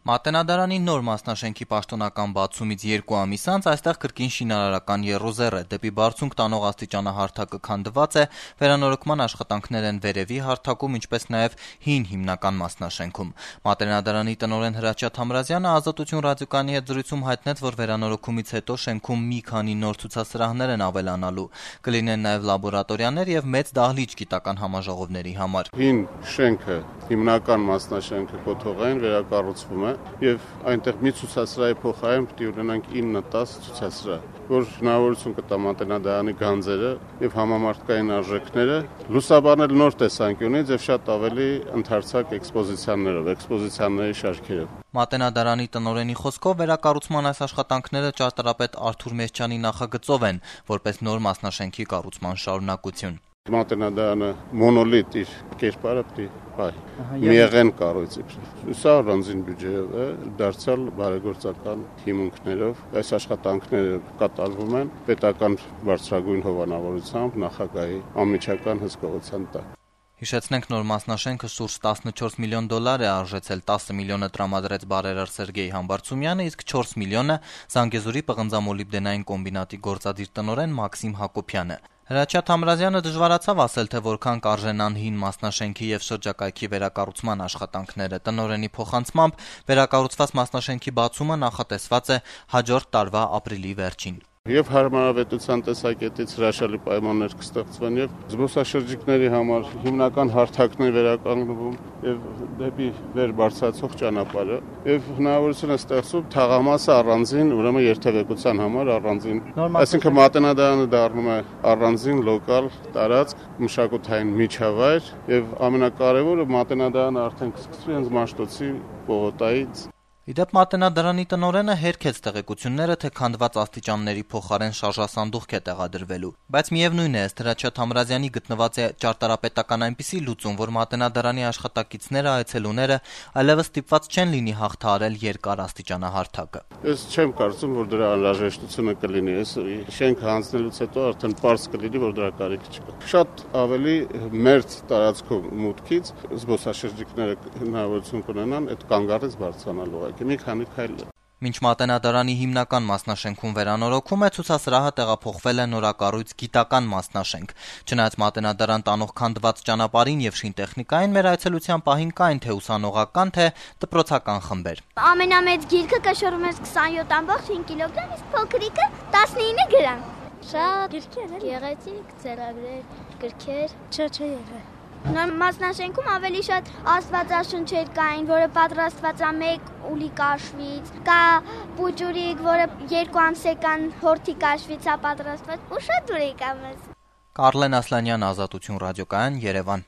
Մատենադարանի նոր մասնաշենքի պաշտոնական բացումից 2 ամիս անց այստեղ կրկին շինարարական եռոզեռ է, դեպի բարձունք տանող աստիճանահարթակը քանդված է, վերանորոգման աշխատանքներ են վերևի հարթակում, ինչպես նաև հին հիմնական մասնաշենքում։ Մատենադարանի տնօրեն Հրաչյա Թամրազյանը Ազատություն ռադիոկայանի հետ զրույցում հայտնեց, որ վերանորոգումից հետո շենքում մի քանի նոր ցուցասրահներ են ավելանալու, կլինեն նաև լաբորատորիաներ եւ մեծ դահլիճ գիտական համաժողովների համար։ Հին շենքը, հիմնական մասնաշենքը կոթողային վերակառուցվում է եւ այնտեղ մի ցուցասրահի փոխարեն պետք է ունենանք 9-10 ցուցասրահ, որ հնարավորություն կտա Մատենադարանի գանձերը եւ համամարտկային արժեքները լուսաբանել նոր տեսանկյունից եւ շատ ավելի ընդարձակ էքսպոզիցիաներով, էքսպոզիցիաների շարքերով։ Մատենադարանի տնօրենի խոսքով վերակառուցման այս աշխատանքները ճարտարապետ Արթուր Մեսչյանի նախագծով են, որպես նոր մասնաշենքի կառուցման շարունակություն։ Մատենադարանը մոնոլիտ իր կերպարը պետք է պահի, միեղեն կառույցի։ Սա առանձին բյուջեով է, դարձյալ բարեգործական հիմունքներով այս աշխատանքները կատարվում են պետական բարձրագույն հովանավորությամբ նախագահի անմիջական հսկողության տակ։ Հիշեցնենք, նոր մասնաշենքը շուրջ $14 միլիոն է արժեցել, 10 միլիոնը տրամադրեց բարերար Սերգեյ Համբարձումյանը, իսկ 4 միլիոնը Զանգեզուրի պղնձամոլիբդենային կոմբինատի գործադիր տնօրեն Մաքսիմ Հակոբյանը։ Հրաչյա Թամրազյանը դժվարացավ ասել, թե որքան կարժենան հին մասնաշենքի եւ շրջակայքի վերակառուցման աշխատանքները։ Տնօրենի փոխանցմամբ վերակառուցված մասնաշենքի բացումը նախատեսված է հաջորդ տարվա ապրիլի վերջին։ Եվ հարմարավետության տեսակետից հրաշալի պայմաններ կստեղծվեն եւ զբոսաշրջիկների համար հիմնական հարթակներ վերականգնվում եւ դեպի վեր բարձրացող ճանապարհը եւ հնարավորություն է ստեղծում թաղամասը առանձին, ուրեմն երթևեկության համար առանձին, այսինքն Մատենադարանը դառնում է առանձին լոկալ տարածք, մշակութային միջավայր եւ ամենակարևորը Մատենադարանը արդեն կսկսվի հենց Մաշտոցի պողոտայից։ Իդեպ Մատենադարանի տնօրենը հերքեց տեղեկությունները, թե քանդված աստիճանների փոխարեն շարժասանդուղք է տեղադրվելու, բայց միևնույն է, ըստ Հրաչյա Թամրազյանի գտնված է ճարտարապետական այնպիսի լուծում, որ Մատենադարանի աշխատակիցները, այցելուները այլևս ստիպված չեն լինի հաղթահարել երկար աստիճանահարթակը։ Ես չեմ կարծում, որ դրա անհրաժեշտությունը կլինի, այս շենքը հանձնելուց հետո արդեն պարզ կլինի, որ դրա կարիք չկա։ Շատ ավելի մերձ տարածքով մուտքից զբոսաշրջիկները հնարավորություն կունենան այդ կանգառից բարձրանալու։ Մի քանի քայլ։ Մինչ Մատենադարանի հիմնական մասնաշենքում վերանորոգում է, ցուցասրահը տեղափոխվել է նորակառույց գիտական մասնաշենք։ Չնայած Մատենադարան տանող քանդված ճանապարհին եւ շինտեխնիկային, մեր այցելության պահին կային թե ուսանողական, թե դպրոցական խմբեր։ Ամենամեծ գիրքը կշռում էր 27.5 կիլոգրամ, իսկ փոքրիկը 19 գրամ։ Շատ գրքեր, գեղեցիկ ծրագրեր, գրքեր, չէ եղել։ Նոր մասնաշենքում ավելի շատ աստվածաշնչեր կային, որը պատրաստված է 1 ուլի կաշվից, կա պուջուրիկ, որը 2 ամսեկան հորթի կաշվից է պատրաստված, ու շատ ուրիշ կա մեզ։ Կարլեն Ասլանյան, Ազատություն ռադիոկայան, Երևան։